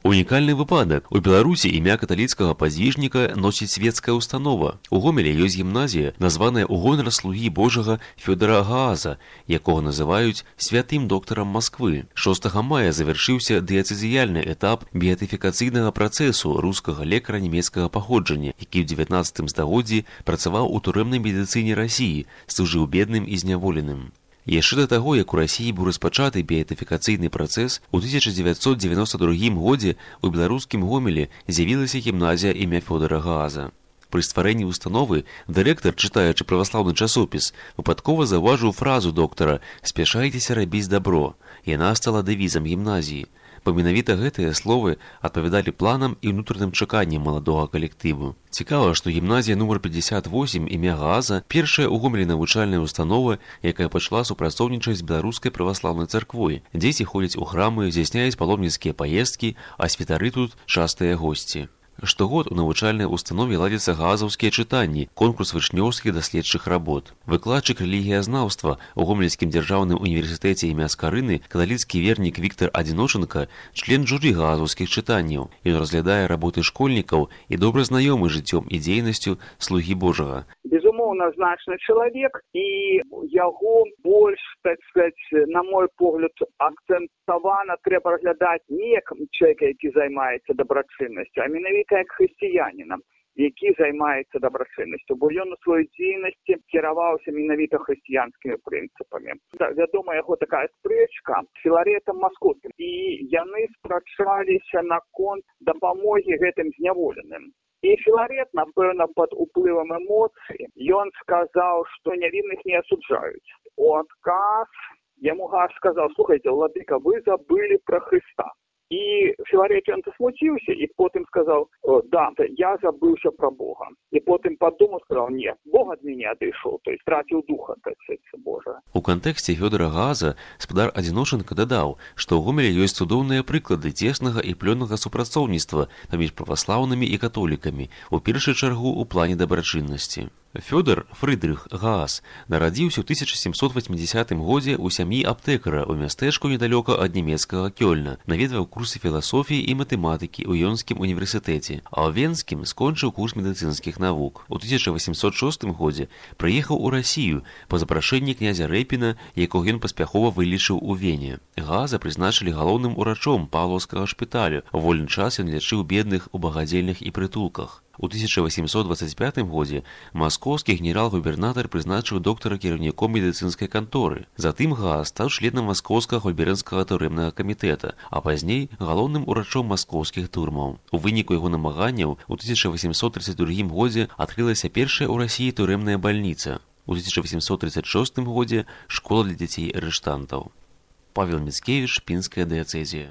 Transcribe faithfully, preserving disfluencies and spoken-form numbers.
Унікальны выпадак. У Беларусі імя каталіцкага падзвіжніка носіць свецкая установа. У Гомелі ёсць гімназія, названая ў гонар слугі Божага Фёдара Гааза, якога называюць святым доктарам Масквы. шостага мая завяршыўся дыяцэзіяльны этап беатыфікацыйнага працэсу рускага лекара нямецкага паходжання, які ў дзевятнаццатым стагоддзі працаваў у турэмнай медыцыне Расіі, служыў бедным і зняволеным. Яшчэ да таго, як у Расіі быў распачаты беатыфікацыйны працэс, у тысяча дзевяцьсот дзевяноста другім годзе ў беларускім Гомелі з'явілася гімназія імя Фёдара Гааза. Пры стварэнні установы дырэктар, чытаючы праваслаўны часопіс, выпадкова заўважыў фразу доктара «Спяшайцеся рабіць дабро». Яна стала дэвізам гімназіі. Бо менавіта гэтыя словы адпавядалі планам і ўнутраным чаканням маладога калектыву. Цікава, што гімназія нумар пятьдесят восемь імя Гааза першая ў Гомелі навучальная установа, якая пачала супрацоўнічаць з беларускай праваслаўнай царквой. Дзеці ходзяць у храмы, здзяйсняюць паломніцкія паездкі, а святары тут частыя госці. Штогод у навучальнай установе ладзяцца гаазаўскія чытанні, конкурс вучнёўскіх даследчых работ. Выкладчык рэлігіязнаўства ў Гомельскім дзяржаўным універсітэце імя Скарыны, каталіцкі вернік Віктар Адзіночанка, член журы гаазаўскіх чытанняў. Ён разглядае работы школьнікаў і добра знаёмы жыццём і дзейнасцю слугі Божага. Безумоўна, значны чалавек, і яго больш, так сказать, на мой погляд, акцэнтавана трэба разглядаць не як чалавека, які займаецца дабрачыннасцю, а менавіта як хрысціянінам, які займаецца дабрачыннасцю, бо ён у сваёй дзейнасці кіраваўся менавіта хрысціянскімі прынцыпамі. Вядома, яго такая спрэчка з Філарэтам Маскоўскім, і яны спрачаліся наконт дапамогі гэтым зняволеным. І Філарет, напэўна, пад уплывам эмоцый, ён сказаў, што нявінных не асуджаюць. У адказ яму Гааз сказаў: «Слухайте, владыка, вы забыли про Христа». І Філарет ён засмуціўся і потым сказаў: «Да, я забыўся про Бога». І потым падумаў, сказаў: «Не, Бог ад мяне адышоў, то есть траціў духа, так сказать, Божа». У кантэксце Фёдара Гааза спадар Адзіночанка дадаў, што ў Гомелі ёсць цудоўныя прыклады цеснага і плённага супрацоўніцтва паміж праваслаўнымі і католікамі, у першую чаргу ў плане дабрачыннасці. Фёдор Фрыдрых Гааз нарадзіўся ў тысяча сямсот васьмідзясятым годзе ў сям'і аптэкара ў мястэчку недалёка ад нямецкага Кёльна, наведваў курсы філасофіі і матэматыкі ў Ёнскім універсітэце, а ў Венскім скончыў курс медыцынскіх навук. У тысяча васьмсот шостым годзе прыехаў у Расію па запрашэнні князя Рэпіна, якога ён паспяхова вылечыў у Вене. Гааза прызначылі галоўным урачом павлаўскага шпіталю. У вольны час ён лячыў бедных у багадзельнях і прытулках. У тысяча васьмсот дваццаць пятым годзе маскоўскі генерал-губернатар прызначыў доктара кіраўніком медыцынскай канторы. Затым Гааз стаў членам маскоўскага губернскага турэмнага камітэта, а пазней галоўным урачом маскоўскіх турмаў. У выніку яго намаганняў у тысяча васьмсот тридцать другім годзе адкрылася першая ў Расіі турэмная бальніца. У тысяча васьмсот тридцать шостым годзе школа для дзяцей арыштантаў. Павел Міцкевіч, Пінская дыяцэзія.